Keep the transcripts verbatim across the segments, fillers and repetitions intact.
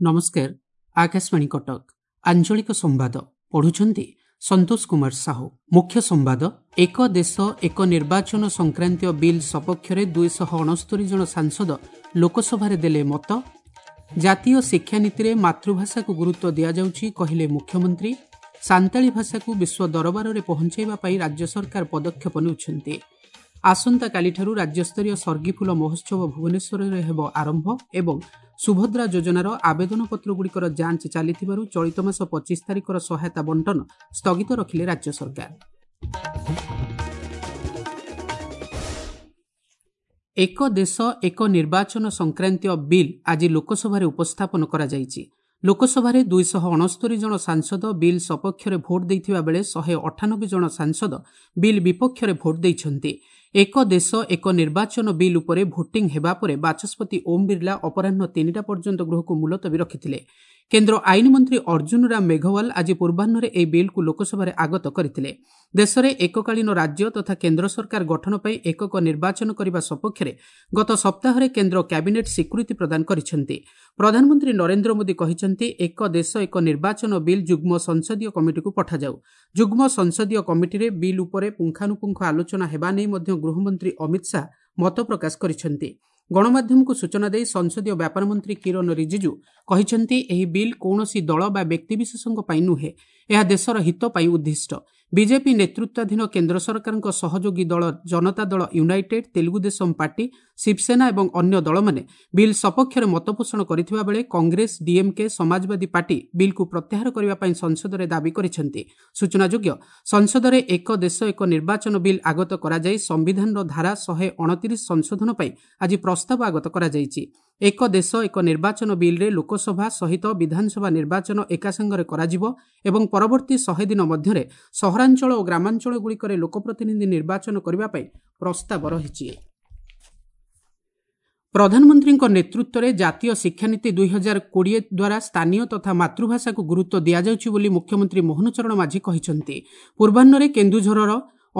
ନମସ୍କାର, ଆକାଶବାଣୀ କଟକ, ଆଞ୍ଚଳିକ ସମ୍ବାଦ ପଢୁଛନ୍ତି ସନ୍ତୋଷ କୁମାର ସାହୁ। ମୁଖ୍ୟ ସମ୍ବାଦ। ଏକ ଦେଶ ଏକ ନିର୍ବାଚନ ସଂକ୍ରାନ୍ତୀୟ ବିଲ୍ ସପକ୍ଷରେ ଦୁଇଶହ ଅଣସ୍ତରୀ ଜଣ ସାଂସଦ ଲୋକସଭାରେ ଦେଲେ ମତ। ଜାତୀୟ ଶିକ୍ଷାନୀତିରେ ମାତୃଭାଷାକୁ ଗୁରୁତ୍ୱ ଦିଆଯାଉଛି କହିଲେ ମୁଖ୍ୟମନ୍ତ୍ରୀ। ସାନ୍ତାଳୀ ଭାଷାକୁ ବିଶ୍ୱ ଦରବାରରେ ପହଞ୍ଚାଇବା ପାଇଁ ରାଜ୍ୟ ସରକାର ପଦକ୍ଷେପ ନେଉଛନ୍ତି। ଆସନ୍ତାକାଲିଠାରୁ ରାଜ୍ୟସ୍ତରୀୟ ସର୍ଗିଫୁଲ ମହୋତ୍ସବ ଭୁବନେଶ୍ୱରରେ ହେବ ଆରମ୍ଭ। ଏବଂ ସୁଭଦ୍ରା ଯୋଜନାର ଆବେଦନପତ୍ରଗୁଡ଼ିକର ଯାଞ୍ଚ ଚାଲିଥିବାରୁ ଚଳିତ ମାସ ପଚିଶ ତାରିଖର ସହାୟତା ବଣ୍ଟନ ସ୍ଥଗିତ ରଖିଲେ ରାଜ୍ୟ ସରକାର। ଏକ ଦେଶ ଏକ ନିର୍ବାଚନ ସଂକ୍ରାନ୍ତୀୟ ବିଲ୍ ଆଜି ଲୋକସଭାରେ ଉପସ୍ଥାପନ କରାଯାଇଛି। ଲୋକସଭାରେ ଦୁଇଶହ ଅଣସ୍ତରୀ ଜଣ ସାଂସଦ ବିଲ୍ ସପକ୍ଷରେ ଭୋଟ ଦେଇଥିବା ବେଳେ ଶହେ ଅଠାନବେ ଜଣ ସାଂସଦ ବିଲ୍ ବିପକ୍ଷରେ ଭୋଟ ଦେଇଛନ୍ତି। ଏକ ଦେଶ ଏକ ନିର୍ବାଚନ ବିଲ୍ ଉପରେ ଭୋଟିଂ ହେବା ପରେ ବାଚସ୍ପତି ଓମ୍ ବିର୍ଲା ଅପରାହ୍ନ ତିନିଟା ପର୍ଯ୍ୟନ୍ତ ଗୃହକୁ ମୁଲତବୀ ରଖିଥିଲେ। କେନ୍ଦ୍ର ଆଇନ ମନ୍ତ୍ରୀ ଅର୍ଜୁନ ରାମ ମେଘୱାଲ ଆଜି ପୂର୍ବାହ୍ନରେ ଏହି ବିଲ୍କୁ ଲୋକସଭାରେ ଆଗତ କରିଥିଲେ। ଦେଶରେ ଏକକାଳୀନ ରାଜ୍ୟ ତଥା କେନ୍ଦ୍ର ସରକାର ଗଠନ ପାଇଁ ଏକକ ନିର୍ବାଚନ କରିବା ସପକ୍ଷରେ ଗତ ସପ୍ତାହରେ କେନ୍ଦ୍ର କ୍ୟାବିନେଟ୍ ସ୍ୱୀକୃତି ପ୍ରଦାନ କରିଛନ୍ତି। ପ୍ରଧାନମନ୍ତ୍ରୀ ନରେନ୍ଦ୍ର ମୋଦି କହିଛନ୍ତି, ଏକ ଦେଶ ଏକ ନିର୍ବାଚନ ବିଲ୍ ଯୁଗ୍ମ ସଂସଦୀୟ କମିଟିକୁ ପଠାଯାଉ। ଯୁଗ୍ମ ସଂସଦୀୟ କମିଟିରେ ବିଲ୍ ଉପରେ ପୁଙ୍ଖାନୁପୁଙ୍ଖ ଆଲୋଚନା ହେବା ନେଇ ମଧ୍ୟ ଗୃହମନ୍ତ୍ରୀ ଅମିତ ଶାହା ମତ ପ୍ରକାଶ କରିଛନ୍ତି। ଗଣମାଧ୍ୟମକୁ ସୂଚନା ଦେଇ ସଂସଦୀୟ ବ୍ୟାପାର ମନ୍ତ୍ରୀ କିରଣ ରିଜିଜୁ କହିଛନ୍ତି, ଏହି ବିଲ୍ କୌଣସି ଦଳ ବା ବ୍ୟକ୍ତିବିଶେଷଙ୍କ ପାଇଁ ନୁହେଁ, ଏହା ଦେଶର ହିତ ପାଇଁ ଉଦ୍ଦିଷ୍ଟ। ବିଜେପି ନେତୃତ୍ୱାଧୀନ କେନ୍ଦ୍ର ସରକାରଙ୍କ ସହଯୋଗୀ ଦଳ ଜନତା ଦଳ ୟୁନାଇଟେଡ୍, ତେଲୁଗୁଦେଶମ ପାର୍ଟି, ଶିବସେନା ଏବଂ ଅନ୍ୟ ଦଳମାନେ ବିଲ୍ ସପକ୍ଷରେ ମତପୋଷଣ କରିଥିବା ବେଳେ କଂଗ୍ରେସ, ଡିଏମ୍କେ, ସମାଜବାଦୀ ପାର୍ଟି ବିଲ୍କୁ ପ୍ରତ୍ୟାହାର କରିବା ପାଇଁ ସଂସଦରେ ଦାବି କରିଛନ୍ତି। ସୂଚନାଯୋଗ୍ୟ, ସଂସଦରେ ଏକ ଦେଶ ଏକ ନିର୍ବାଚନ ବିଲ୍ ଆଗତ କରାଯାଇ ସମ୍ବିଧାନର ଧାରା ଶହେ ଅଣତିରିଶ ସଂଶୋଧନ ପାଇଁ ଆଜି ପ୍ରସ୍ତାବ ଆଗତ କରାଯାଇଛି। ଏକ ଦେଶ ଏକ ନିର୍ବାଚନ ବିଲ୍ରେ ଲୋକସଭା ସହିତ ବିଧାନସଭା ନିର୍ବାଚନ ଏକାସାଙ୍ଗରେ କରାଯିବ ଏବଂ ପରବର୍ତ୍ତୀ ଶହେ ଦିନ ମଧ୍ୟରେ ସହରାଞ୍ଚଳ ଓ ଗ୍ରାମାଞ୍ଚଳଗୁଡ଼ିକରେ ଲୋକପ୍ରତିନିଧି ନିର୍ବାଚନ କରିବା ପାଇଁ ପ୍ରସ୍ତାବ ରହିଛି। ପ୍ରଧାନମନ୍ତ୍ରୀଙ୍କ ନେତୃତ୍ୱରେ ଜାତୀୟ ଶିକ୍ଷାନୀତି ଦୁଇ ହଜାର କୋଡ଼ିଏ ଦ୍ୱାରା ସ୍ଥାନୀୟ ତଥା ମାତୃଭାଷାକୁ ଗୁରୁତ୍ୱ ଦିଆଯାଉଛି ବୋଲି ମୁଖ୍ୟମନ୍ତ୍ରୀ ମୋହନ ଚରଣ ମାଝୀ କହିଛନ୍ତି। ପୂର୍ବାହ୍ନରେ କେନ୍ଦୁଝରର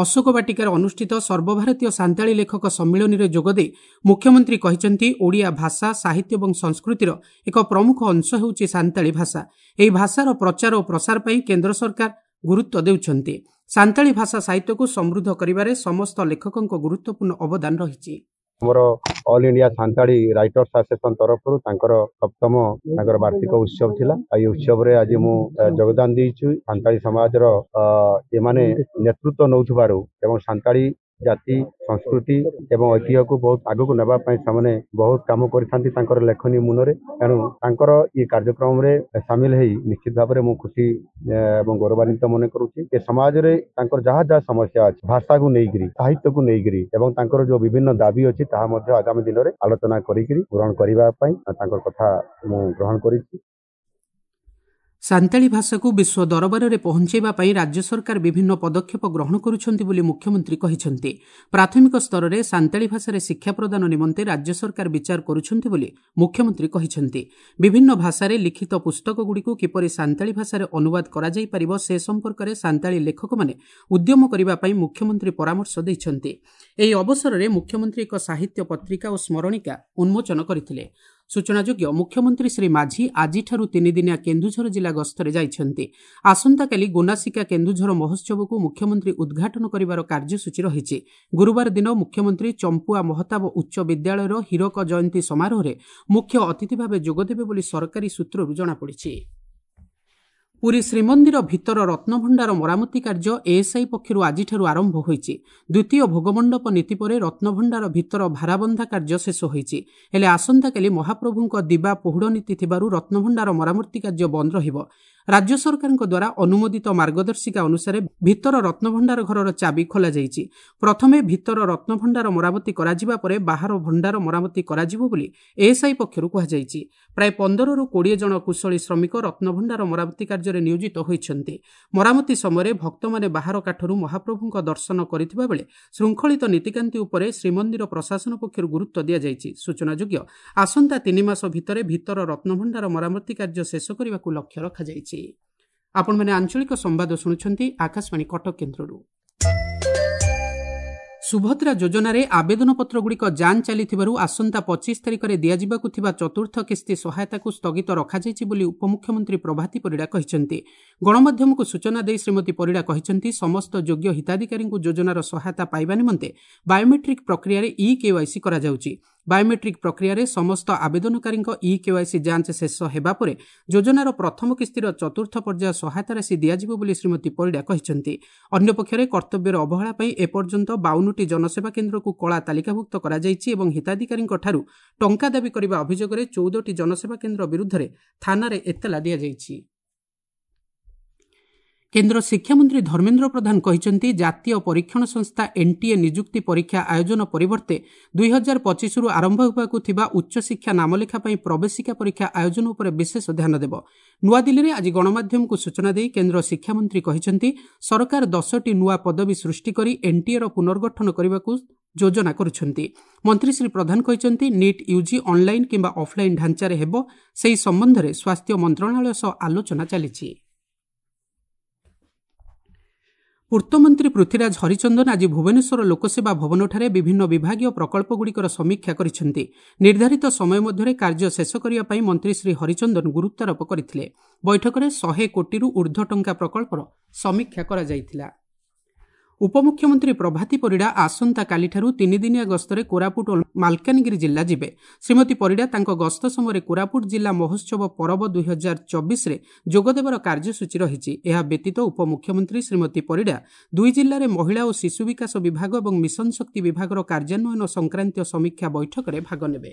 ଅଶୋକ ବାଟିକାରେ ଅନୁଷ୍ଠିତ ସର୍ବଭାରତୀୟ ସାନ୍ତାଳୀ ଲେଖକ ସମ୍ମିଳନୀରେ ଯୋଗଦେଇ ମୁଖ୍ୟମନ୍ତ୍ରୀ କହିଛନ୍ତି, ଓଡ଼ିଆ ଭାଷା, ସାହିତ୍ୟ ଏବଂ ସଂସ୍କୃତିର ଏକ ପ୍ରମୁଖ ଅଂଶ ହେଉଛି ସାନ୍ତାଳୀ ଭାଷା। ଏହି ଭାଷାର ପ୍ରଚାର ଓ ପ୍ରସାର ପାଇଁ କେନ୍ଦ୍ର ସରକାର ଗୁରୁତ୍ୱ ଦେଉଛନ୍ତି। ସାନ୍ତାଳୀ ଭାଷା ସାହିତ୍ୟକୁ ସମୃଦ୍ଧ କରିବାରେ ସମସ୍ତ ଲେଖକଙ୍କ ଗୁରୁତ୍ୱପୂର୍ଣ୍ଣ ଅବଦାନ ରହିଛି। ଆମର all India Santali writers association ତରଫରୁ ତାଙ୍କର ସପ୍ତମ ତାଙ୍କର ବାର୍ଷିକ ଉତ୍ସବ ଥିଲା। ଆଉ ଏଇ ଉତ୍ସବରେ ଆଜି ମୁଁ ଯୋଗଦାନ ଦେଇଛି। ସାନ୍ତାଳୀ ସମାଜର ଏମାନେ ନେତୃତ୍ୱ ନେଉଥିବାରୁ ଏବଂ ସାନ୍ତାଳୀ ଜାତି, ସଂସ୍କୃତି ଏବଂ ଐତିହ୍ୟକୁ ବହୁତ ଆଗକୁ ନେବା ପାଇଁ ସେମାନେ ବହୁତ କାମ କରିଥାନ୍ତି ତାଙ୍କର ଲେଖନୀ ମୁନରେ। ତେଣୁ ତାଙ୍କର ଏ କାର୍ଯ୍ୟକ୍ରମରେ ସାମିଲ ହେଇ ନିଶ୍ଚିତ ଭାବରେ ମୁଁ ଖୁସି ଏବଂ ଗୌରବାନ୍ୱିତ ମନେ କରୁଛି। ଏ ସମାଜରେ ତାଙ୍କର ଯାହା ଯାହା ସମସ୍ୟା ଅଛି, ଭାଷାକୁ ନେଇକିରି, ସାହିତ୍ୟକୁ ନେଇକିରି ଏବଂ ତାଙ୍କର ଯୋଉ ବିଭିନ୍ନ ଦାବି ଅଛି ତାହା ମଧ୍ୟ ଆଗାମୀ ଦିନରେ ଆଲୋଚନା କରିକିରି ପୂରଣ କରିବା ପାଇଁ ତାଙ୍କର କଥା ମୁଁ ଗ୍ରହଣ କରିଛି। ସାନ୍ତାଳୀ ଭାଷାକୁ ବିଶ୍ୱ ଦରବାରରେ ପହଞ୍ଚାଇବା ପାଇଁ ରାଜ୍ୟ ସରକାର ବିଭିନ୍ନ ପଦକ୍ଷେପ ଗ୍ରହଣ କରୁଛନ୍ତି ବୋଲି ମୁଖ୍ୟମନ୍ତ୍ରୀ କହିଛନ୍ତି। ପ୍ରାଥମିକ ସ୍ତରରେ ସାନ୍ତାଳୀ ଭାଷାରେ ଶିକ୍ଷା ପ୍ରଦାନ ନିମନ୍ତେ ରାଜ୍ୟ ସରକାର ବିଚାର କରୁଛନ୍ତି ବୋଲି ମୁଖ୍ୟମନ୍ତ୍ରୀ କହିଛନ୍ତି। ବିଭିନ୍ନ ଭାଷାରେ ଲିଖିତ ପୁସ୍ତକଗୁଡ଼ିକୁ କିପରି ସାନ୍ତାଳୀ ଭାଷାରେ ଅନୁବାଦ କରାଯାଇପାରିବ ସେ ସମ୍ପର୍କରେ ସାନ୍ତାଳୀ ଲେଖକମାନେ ଉଦ୍ୟମ କରିବା ପାଇଁ ମୁଖ୍ୟମନ୍ତ୍ରୀ ପରାମର୍ଶ ଦେଇଛନ୍ତି। ଏହି ଅବସରରେ ମୁଖ୍ୟମନ୍ତ୍ରୀ ଏକ ସାହିତ୍ୟ ପତ୍ରିକା ଓ ସ୍ମରଣିକା ଉନ୍ମୋଚନ କରିଥିଲେ। ସୂଚନାଯୋଗ୍ୟ, ମୁଖ୍ୟମନ୍ତ୍ରୀ ଶ୍ରୀ ମାଝୀ ଆଜିଠାରୁ ତିନିଦିନିଆ କେନ୍ଦୁଝର ଜିଲ୍ଲା ଗସ୍ତରେ ଯାଇଛନ୍ତି। ଆସନ୍ତାକାଲି ଗୋନାସିକା କେନ୍ଦୁଝର ମହୋତ୍ସବକୁ ମୁଖ୍ୟମନ୍ତ୍ରୀ ଉଦ୍ଘାଟନ କରିବାର କାର୍ଯ୍ୟସୂଚୀ ରହିଛି। ଗୁରୁବାର ଦିନ ମୁଖ୍ୟମନ୍ତ୍ରୀ ଚମ୍ପୁଆ ମହତାବ ଉଚ୍ଚ ବିଦ୍ୟାଳୟର ହୀରକ ଜୟନ୍ତୀ ସମାରୋହରେ ମୁଖ୍ୟ ଅତିଥି ଭାବେ ଯୋଗଦେବେ ବୋଲି ସରକାରୀ ସୂତ୍ରରୁ ଜଣାପଡ଼ିଛି। ପୁରୀ ଶ୍ରୀମନ୍ଦିର ଭିତର ରତ୍ନଭଣ୍ଡାର ମରାମତି କାର୍ଯ୍ୟ ଏଏସ୍ଆଇ ପକ୍ଷରୁ ଆଜିଠାରୁ ଆରମ୍ଭ ହୋଇଛି। ଦ୍ୱିତୀୟ ଭୋଗମଣ୍ଡପ ନୀତି ପରେ ରତ୍ନଭଣ୍ଡାର ଭିତର ଭାରାବନ୍ଧା କାର୍ଯ୍ୟ ଶେଷ ହୋଇଛି। ହେଲେ ଆସନ୍ତାକାଲି ମହାପ୍ରଭୁଙ୍କ ଦିବା ପହୁଡ଼ ନୀତି ଥିବାରୁ ରତ୍ନଭଣ୍ଡାର ମରାମତି କାର୍ଯ୍ୟ ବନ୍ଦ ରହିବ। ରାଜ୍ୟ ସରକାରଙ୍କ ଦ୍ୱାରା ଅନୁମୋଦିତ ମାର୍ଗଦର୍ଶିକା ଅନୁସାରେ ଭିତର ରତ୍ନଭଣ୍ଡାର ଘରର ଚାବି ଖୋଲାଯାଇଛି। ପ୍ରଥମେ ଭିତର ରତ୍ନଭଣ୍ଡାର ମରାମତି କରାଯିବା ପରେ ବାହାର ଭଣ୍ଡାର ମରାମତି କରାଯିବ ବୋଲି ଏଏସ୍ଆଇ ପକ୍ଷରୁ କୁହାଯାଇଛି। ପ୍ରାୟ ପନ୍ଦରରୁ କୋଡ଼ିଏ ଜଣ କୁଶଳୀ ଶ୍ରମିକ ରତ୍ନଭଣ୍ଡାର ମରାମତି କାର୍ଯ୍ୟରେ ନିୟୋଜିତ ହୋଇଛନ୍ତି। ମରାମତି ସମୟରେ ଭକ୍ତମାନେ ବାହାର କାଠରୁ ମହାପ୍ରଭୁଙ୍କ ଦର୍ଶନ କରିଥିବା ବେଳେ ଶୃଙ୍ଖଳିତ ନୀତିକାନ୍ତି ଉପରେ ଶ୍ରୀମନ୍ଦିର ପ୍ରଶାସନ ପକ୍ଷରୁ ଗୁରୁତ୍ୱ ଦିଆଯାଇଛି। ସୂଚନାଯୋଗ୍ୟ, ଆସନ୍ତା ତିନି ମାସ ଭିତରେ ଭିତର ରତ୍ନଭଣ୍ଡାର ମରାମତି କାର୍ଯ୍ୟ ଶେଷ କରିବାକୁ ଲକ୍ଷ୍ୟ ରଖାଯାଇଛି। ଆପଣମାନେ ଆଞ୍ଚଳିକ ସମ୍ବାଦ ଶୁଣୁଛନ୍ତି ଆକାଶବାଣୀ କଟକ କେନ୍ଦ୍ରରୁ। ସୁଭଦ୍ରା ଯୋଜନାରେ ଆବେଦନପତ୍ରଗୁଡ଼ିକ ଯାଞ୍ଚ ଚାଲିଥିବାରୁ ଆସନ୍ତା ପଚିଶ ତାରିଖରେ ଦିଆଯିବାକୁ ଥିବା ଚତୁର୍ଥ କିସ୍ତି ସହାୟତାକୁ ସ୍ଥଗିତ ରଖାଯାଇଛି ବୋଲି ଉପମୁଖ୍ୟମନ୍ତ୍ରୀ ପ୍ରଭାତୀ ପରିଡ଼ା କହିଛନ୍ତି। ଗଣମାଧ୍ୟମକୁ ସୂଚନା ଦେଇ ଶ୍ରୀମତୀ ପରିଡ଼ା କହିଛନ୍ତି, ସମସ୍ତ ଯୋଗ୍ୟ ହିତାଧିକାରୀଙ୍କୁ ଯୋଜନାର ସହାୟତା ପାଇବା ନିମନ୍ତେ ବାୟୋମେଟ୍ରିକ୍ ପ୍ରକ୍ରିୟାରେ ଇ କେୱାଇସି କରାଯାଉଛି। ବାୟୋମେଟ୍ରିକ୍ ପ୍ରକ୍ରିୟାରେ ସମସ୍ତ ଆବେଦନକାରୀଙ୍କ ଇ କେୱାଇସି ଯାଞ୍ଚ ଶେଷ ହେବା ପରେ ଯୋଜନାର ପ୍ରଥମ କିସ୍ତିର ଚତୁର୍ଥ ପର୍ଯ୍ୟାୟ ସହାୟତା ରାଶି ଦିଆଯିବ ବୋଲି ଶ୍ରୀମତୀ ପରିଡ଼ା କହିଛନ୍ତି। ଅନ୍ୟପକ୍ଷରେ କର୍ତ୍ତବ୍ୟର ଅବହେଳା ପାଇଁ ଏପର୍ଯ୍ୟନ୍ତ ବାଉନଟି ଜନସେବା କେନ୍ଦ୍ରକୁ କଳା ତାଲିକାଭୁକ୍ତ କରାଯାଇଛି ଏବଂ ହିତାଧିକାରୀଙ୍କଠାରୁ ଟଙ୍କା ଦାବି କରିବା ଅଭିଯୋଗରେ ଚଉଦଟି ଜନସେବା କେନ୍ଦ୍ର ବିରୁଦ୍ଧରେ ଥାନାରେ ଏତଲା ଦିଆଯାଇଛି। କେନ୍ଦ୍ର ଶିକ୍ଷାମନ୍ତ୍ରୀ ଧର୍ମେନ୍ଦ୍ର ପ୍ରଧାନ କହିଛନ୍ତି, ଜାତୀୟ ପରୀକ୍ଷଣ ସଂସ୍ଥା ଏନ୍ଟିଏ ନିଯୁକ୍ତି ପରୀକ୍ଷା ଆୟୋଜନ ପରିବର୍ତ୍ତେ ଦୁଇ ହଜାର ପଚିଶରୁ ଆରମ୍ଭ ହେବାକୁ ଥିବା ଉଚ୍ଚଶିକ୍ଷା ନାମଲେଖା ପାଇଁ ପ୍ରବେଶିକା ପରୀକ୍ଷା ଆୟୋଜନ ଉପରେ ବିଶେଷ ଧ୍ୟାନ ଦେବ। ନୂଆଦିଲ୍ଲୀରେ ଆଜି ଗଣମାଧ୍ୟମକୁ ସୂଚନା ଦେଇ କେନ୍ଦ୍ର ଶିକ୍ଷାମନ୍ତ୍ରୀ କହିଛନ୍ତି, ସରକାର ଦଶଟି ନୂଆ ପଦବୀ ସୃଷ୍ଟି କରି ଏନ୍ଟିଏର ପୁନର୍ଗଠନ କରିବାକୁ ଯୋଜନା କରୁଛନ୍ତି। ମନ୍ତ୍ରୀ ଶ୍ରୀ ପ୍ରଧାନ କହିଛନ୍ତି, ନିଟ୍ ୟୁଜି ଅନ୍ଲାଇନ୍ କିମ୍ବା ଅଫ୍ଲାଇନ୍ ଢାଞ୍ଚାରେ ହେବ, ସେହି ସମ୍ବନ୍ଧରେ ସ୍ୱାସ୍ଥ୍ୟ ମନ୍ତ୍ରଣାଳୟ ସହ ଆଲୋଚନା ଚାଲିଛି। ପୂର୍ତ୍ତମନ୍ତ୍ରୀ ପୃଥ୍ୱୀରାଜ ହରିଚନ୍ଦନ ଆଜି ଭୁବନେଶ୍ୱର ଲୋକସେବା ଭବନଠାରେ ବିଭିନ୍ନ ବିଭାଗୀୟ ପ୍ରକଳ୍ପଗୁଡ଼ିକର ସମୀକ୍ଷା କରିଛନ୍ତି। ନିର୍ଦ୍ଧାରିତ ସମୟ ମଧ୍ୟରେ କାର୍ଯ୍ୟ ଶେଷ କରିବା ପାଇଁ ମନ୍ତ୍ରୀ ଶ୍ରୀ ହରିଚନ୍ଦନ ଗୁରୁତ୍ୱାରୋପ କରିଥିଲେ। ବୈଠକରେ ଶହେ କୋଟିରୁ ଊର୍ଦ୍ଧ୍ୱ ଟଙ୍କା ପ୍ରକଳ୍ପର ସମୀକ୍ଷା କରାଯାଇଥିଲା। ଉପମୁଖ୍ୟମନ୍ତ୍ରୀ ପ୍ରଭାତୀ ପରିଡ଼ା ଆସନ୍ତାକାଲିଠାରୁ ତିନିଦିନିଆ ଗସ୍ତରେ କୋରାପୁଟ ଓ ମାଲକାନଗିରି ଜିଲ୍ଲା ଯିବେ। ଶ୍ରୀମତୀ ପରିଡ଼ା ତାଙ୍କ ଗସ୍ତ ସମୟରେ କୋରାପୁଟ ଜିଲ୍ଲା ମହୋତ୍ସବ ପରବ ଦୁଇ ହଜାର ଚବିଶରେ ଯୋଗଦେବାର କାର୍ଯ୍ୟସୂଚୀ ରହିଛି। ଏହା ବ୍ୟତୀତ ଉପମୁଖ୍ୟମନ୍ତ୍ରୀ ଶ୍ରୀମତୀ ପରିଡ଼ା ଦୁଇ ଜିଲ୍ଲାରେ ମହିଳା ଓ ଶିଶୁ ବିକାଶ ବିଭାଗ ଏବଂ ମିଶନ ଶକ୍ତି ବିଭାଗର କାର୍ଯ୍ୟାନ୍ୱୟନ ସଂକ୍ରାନ୍ତୀୟ ସମୀକ୍ଷା ବୈଠକରେ ଭାଗ ନେବେ।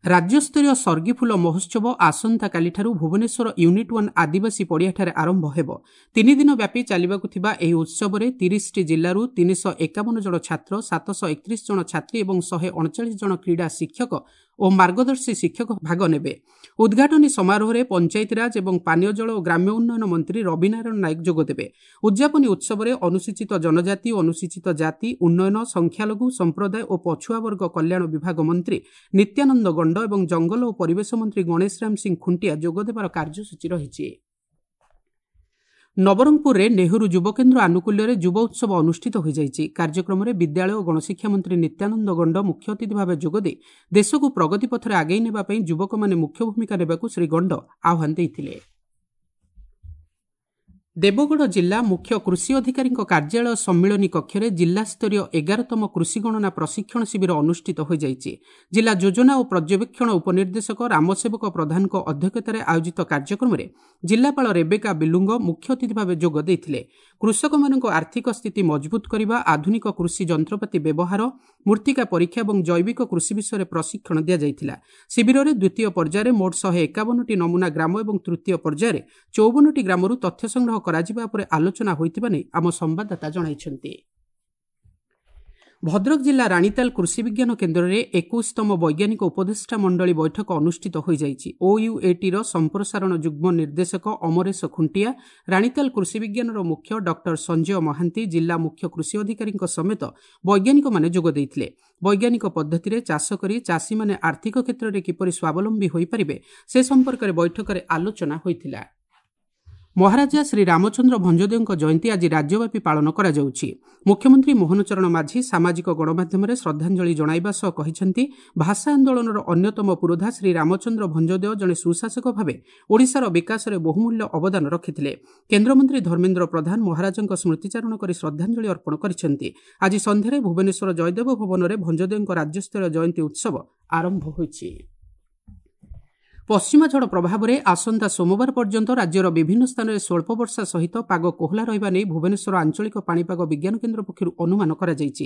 ରାଜ୍ୟସ୍ତରୀୟ ସର୍ଗିଫୁଲ ମହୋତ୍ସବ ଆସନ୍ତାକାଲିଠାରୁ ଭୁବନେଶ୍ୱର ୟୁନିଟ୍ ୱାନ୍ ଆଦିବାସୀ ପଡ଼ିଆଠାରେ ଆରମ୍ଭ ହେବ। ତିନି ଦିନ ବ୍ୟାପୀ ଚାଲିବାକୁ ଥିବା ଏହି ଉତ୍ସବରେ ତିରିଶଟି ଜିଲ୍ଲାରୁ ତିନିଶହ ଏକାବନ ଜଣ ଛାତ୍ର, ସାତଶହ ଏକତିରିଶ ଜଣ ଛାତ୍ରୀ ଏବଂ ଶହେ ଅଣଚାଳିଶ ଜଣ କ୍ରୀଡ଼ା ଶିକ୍ଷକ ଓ ମାର୍ଗଦର୍ଶୀ ଶିକ୍ଷକ ଭାଗ ନେବେ। ଉଦ୍ଘାଟନୀ ସମାରୋହରେ ପଞ୍ଚାୟତିରାଜ ଏବଂ ପାନୀୟ ଜଳ ଓ ଗ୍ରାମ୍ୟ ଉନ୍ନୟନ ମନ୍ତ୍ରୀ ରବିନାରାୟଣ ନାୟକ ଯୋଗଦେବେ। ଉଦ୍ଯାପନୀ ଉତ୍ସବରେ ଅନୁସୂଚିତ ଜନଜାତି ଓ ଅନୁସୂଚିତ ଜାତି ଉନ୍ନୟନ, ସଂଖ୍ୟାଲଘୁ ସମ୍ପ୍ରଦାୟ ଓ ପଛୁଆ ବର୍ଗ କଲ୍ୟାଣ ବିଭାଗ ମନ୍ତ୍ରୀ ନିତ୍ୟାନନ୍ଦ ଗଣ୍ଡ ଏବଂ ଜଙ୍ଗଲ ଓ ପରିବେଶ ମନ୍ତ୍ରୀ ଗଣେଶ ରାମ ସିଂ ଖୁଣ୍ଟିଆ ଯୋଗଦେବାର କାର୍ଯ୍ୟସୂଚୀ ରହିଛି। ନବରଙ୍ଗପୁରରେ ନେହେରୁ ଯୁବକେନ୍ଦ୍ର ଆନୁକୂଲ୍ୟରେ ଯୁବ ଉତ୍ସବ ଅନୁଷ୍ଠିତ ହୋଇଯାଇଛି। କାର୍ଯ୍ୟକ୍ରମରେ ବିଦ୍ୟାଳୟ ଓ ଗଣଶିକ୍ଷା ମନ୍ତ୍ରୀ ନିତ୍ୟାନନ୍ଦ ଗଣ୍ଡ ମୁଖ୍ୟ ଅତିଥି ଭାବେ ଯୋଗଦେଇ ଦେଶକୁ ପ୍ରଗତି ପଥରେ ଆଗେଇ ନେବା ପାଇଁ ଯୁବକମାନେ ମୁଖ୍ୟ ଭୂମିକା ନେବାକୁ ଶ୍ରୀ ଗଣ୍ଡ ଆହ୍ୱାନ ଦେଇଥିଲେ। ଦେବଗଡ଼ ଜିଲ୍ଲା ମୁଖ୍ୟ କୃଷି ଅଧିକାରୀଙ୍କ କାର୍ଯ୍ୟାଳୟ ସମ୍ମିଳନୀ କକ୍ଷରେ ଜିଲ୍ଲାସ୍ତରୀୟ ଏଗାରତମ କୃଷି ଗଣନା ପ୍ରଶିକ୍ଷଣ ଶିବିର ଅନୁଷ୍ଠିତ ହୋଇଯାଇଛି। ଜିଲ୍ଲା ଯୋଜନା ଓ ପର୍ଯ୍ୟବେକ୍ଷଣ ଉପନିର୍ଦ୍ଦେଶକ ରାମସେବକ ପ୍ରଧାନଙ୍କ ଅଧ୍ୟକ୍ଷତାରେ ଆୟୋଜିତ କାର୍ଯ୍ୟକ୍ରମରେ ଜିଲ୍ଲାପାଳ ରେବେକା ବିଲୁଙ୍ଗ ମୁଖ୍ୟ ଅତିଥି ଭାବେ ଯୋଗ ଦେଇଥିଲେ। କୃଷକମାନଙ୍କ ଆର୍ଥିକ ସ୍ଥିତି ମଜବୁତ କରିବା, ଆଧୁନିକ କୃଷି ଯନ୍ତ୍ରପାତି ବ୍ୟବହାର, ମୃତ୍ତିକା ପରୀକ୍ଷା ଏବଂ ଜୈବିକ କୃଷି ବିଷୟରେ ପ୍ରଶିକ୍ଷଣ ଦିଆଯାଇଥିଲା। ଶିବିରରେ ଦ୍ୱିତୀୟ ପର୍ଯ୍ୟାୟରେ ମୋଟ ଶହେ ଏକାବନଟି ନମୁନା ଗ୍ରାମ ଏବଂ ତୃତୀୟ ପର୍ଯ୍ୟାୟରେ ଚଉବନଟି ଗ୍ରାମରୁ ତଥ୍ୟ ସଂଗ୍ରହ କରାଯିବା ଉପରେ ଆଲୋଚନା ହୋଇଥିବା ନେଇ ଆମ ସମ୍ବାଦଦାତା ଜଣାଇଛନ୍ତି। ଭଦ୍ରକ ଜିଲ୍ଲା ରାଣୀତାଲ କୃଷି ବିଜ୍ଞାନ କେନ୍ଦ୍ରରେ ଏକୋଇଶତମ ବୈଜ୍ଞାନିକ ଉପଦେଷ୍ଟା ମଣ୍ଡଳୀ ବୈଠକ ଅନୁଷ୍ଠିତ ହୋଇଯାଇଛି। ଓୟୁଏଟିର ସମ୍ପ୍ରସାରଣ ଯୁଗ୍ମ ନିର୍ଦ୍ଦେଶକ ଅମରେଶ ଖୁଣ୍ଟିଆ, ରାଣୀତାଲ କୃଷି ବିଜ୍ଞାନର ମୁଖ୍ୟ ଡକ୍ଟର ସଞ୍ଜୟ ମହାନ୍ତି, ଜିଲ୍ଲା ମୁଖ୍ୟ କୃଷି ଅଧିକାରୀଙ୍କ ସମେତ ବୈଜ୍ଞାନିକମାନେ ଯୋଗ ଦେଇଥିଲେ। ବୈଜ୍ଞାନିକ ପଦ୍ଧତିରେ ଚାଷ କରି ଚାଷୀମାନେ ଆର୍ଥିକ କ୍ଷେତ୍ରରେ କିପରି ସ୍ୱାବଲମ୍ବୀ ହୋଇପାରିବେ ସେ ସମ୍ପର୍କରେ ବୈଠକରେ ଆଲୋଚନା ହୋଇଥିଲା। ମହାରାଜା ଶ୍ରୀ ରାମଚନ୍ଦ୍ର ଭଞ୍ଜଦେଓଙ୍କ ଜୟନ୍ତୀ ଆଜି ରାଜ୍ୟବ୍ୟାପୀ ପାଳନ କରାଯାଉଛି। ମୁଖ୍ୟମନ୍ତ୍ରୀ ମୋହନ ଚରଣ ମାଝୀ ସାମାଜିକ ଗଣମାଧ୍ୟମରେ ଶ୍ରଦ୍ଧାଞ୍ଜଳି ଜଣାଇବା ସହ କହିଛନ୍ତି, ଭାଷା ଆନ୍ଦୋଳନର ଅନ୍ୟତମ ପୁରୋଧା ଶ୍ରୀ ରାମଚନ୍ଦ୍ର ଭଞ୍ଜଦେଓ ଜଣେ ସୁଶାସକ ଭାବେ ଓଡ଼ିଶାର ବିକାଶରେ ବହୁମୂଲ୍ୟ ଅବଦାନ ରଖିଥିଲେ। କେନ୍ଦ୍ରମନ୍ତ୍ରୀ ଧର୍ମେନ୍ଦ୍ର ପ୍ରଧାନ ମହାରାଜାଙ୍କ ସ୍ମୃତିଚାରଣ କରି ଶ୍ରଦ୍ଧାଞ୍ଜଳି ଅର୍ପଣ କରିଛନ୍ତି। ଆଜି ସନ୍ଧ୍ୟାରେ ଭୁବନେଶ୍ୱର ଜୟଦେବ ଭବନରେ ଭଞ୍ଜଦେଓଙ୍କ ରାଜ୍ୟସ୍ତରୀୟ ଜୟନ୍ତୀ ଉତ୍ସବ ଆରମ୍ଭ ହୋଇଛି। ପଶ୍ଚିମା ଝଡ଼ ପ୍ରଭାବରେ ଆସନ୍ତା ସୋମବାର ପର୍ଯ୍ୟନ୍ତ ରାଜ୍ୟର ବିଭିନ୍ନ ସ୍ଥାନରେ ସ୍ୱଳ୍ପ ବର୍ଷା ସହିତ ପାଗ କୋହଲା ରହିବା ନେଇ ଭୁବନେଶ୍ୱର ଆଞ୍ଚଳିକ ପାଣିପାଗ ବିଜ୍ଞାନ କେନ୍ଦ୍ର ପକ୍ଷରୁ ଅନୁମାନ କରାଯାଇଛି।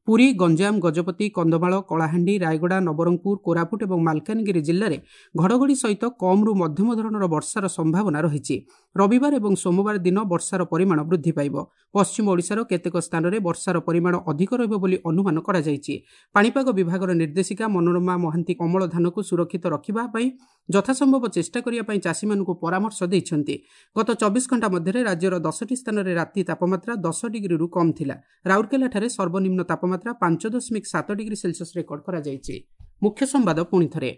ପୁରୀ, ଗଞ୍ଜାମ, ଗଜପତି, କନ୍ଧମାଳ, କଳାହାଣ୍ଡି, ରାୟଗଡ଼ା, ନବରଙ୍ଗପୁର, କୋରାପୁଟ ଏବଂ ମାଲକାନଗିରି ଜିଲ୍ଲାରେ ଘଡ଼ଘଡ଼ି ସହିତ କମ୍ରୁ ମଧ୍ୟମ ଧରଣର ବର୍ଷାର ସମ୍ଭାବନା ରହିଛି। ରବିବାର ଏବଂ ସୋମବାର ଦିନ ବର୍ଷାର ପରିମାଣ ବୃଦ୍ଧି ପାଇବ। ପଶ୍ଚିମ ଓଡ଼ିଶାର କେତେକ ସ୍ଥାନରେ ବର୍ଷାର ପରିମାଣ ଅଧିକ ରହିବ ବୋଲି ଅନୁମାନ କରାଯାଇଛି। ପାଣିପାଗ ବିଭାଗର ନିର୍ଦ୍ଦେଶିକା ମନୋରମା ମହାନ୍ତି ଅମଳ ଧାନକୁ ସୁରକ୍ଷିତ ରଖିବା ପାଇଁ ଯଥାସମ୍ଭବ ଚେଷ୍ଟା କରିବା ପାଇଁ ଚାଷୀମାନଙ୍କୁ ପରାମର୍ଶ ଦେଇଛନ୍ତି। ଗତ ଚବିଶ ଘଣ୍ଟା ମଧ୍ୟରେ ରାଜ୍ୟର ଦଶଟି ସ୍ଥାନରେ ରାତି ତାପମାତ୍ରା ଦଶ ଡିଗ୍ରୀରୁ କମ୍ ଥିଲା। ରାଉରକେଲାଠାରେ ସର୍ବନିମ୍ନ ତାପମାତ୍ରା ପାଞ୍ଚ ଦଶମିକ ସାତ ଡିଗ୍ରୀ ସେଲସିୟସ୍ ରେକର୍ଡ କରାଯାଇଛି। ମୁଖ୍ୟ ସମ୍ବାଦ ପୁଣି ଥରେ,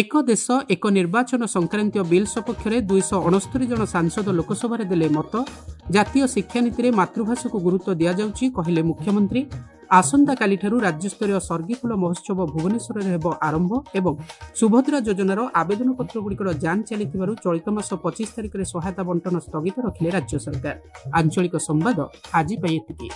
ଏକ ଦେଶ ଏକ ନିର୍ବାଚନ ସଂକ୍ରାନ୍ତୀୟ ବିଲ୍ ସପକ୍ଷରେ ଦୁଇଶହ ଅଣସ୍ତରୀ ଜଣ ସାଂସଦ ଲୋକସଭାରେ ଦେଲେ ମତ। ଜାତୀୟ ଶିକ୍ଷାନୀତିରେ ମାତୃଭାଷାକୁ ଗୁରୁତ୍ୱ ଦିଆଯାଉଛି, କହିଲେ ମୁଖ୍ୟମନ୍ତ୍ରୀ। ଆସନ୍ତାକାଲିଠାରୁ ରାଜ୍ୟସ୍ତରୀୟ ସର୍ଗିଫୁଲ ମହୋତ୍ସବ ଭୁବନେଶ୍ୱରରେ ହେବ ଆରମ୍ଭ। ଏବଂ ସୁଭଦ୍ରା ଯୋଜନାର ଆବେଦନପତ୍ରଗୁଡ଼ିକର ଯାଞ୍ଚ ଚାଲିଥିବାରୁ ଚଳିତ ମାସ ପଚିଶ ତାରିଖରେ ସହାୟତା ବଣ୍ଟନ ସ୍ଥଗିତ ରଖିଲେ ରାଜ୍ୟ ସରକାର। ଆଞ୍ଚଳିକ ସମ୍ବାଦ ଆଜି ପାଇଁ ଏତିକି।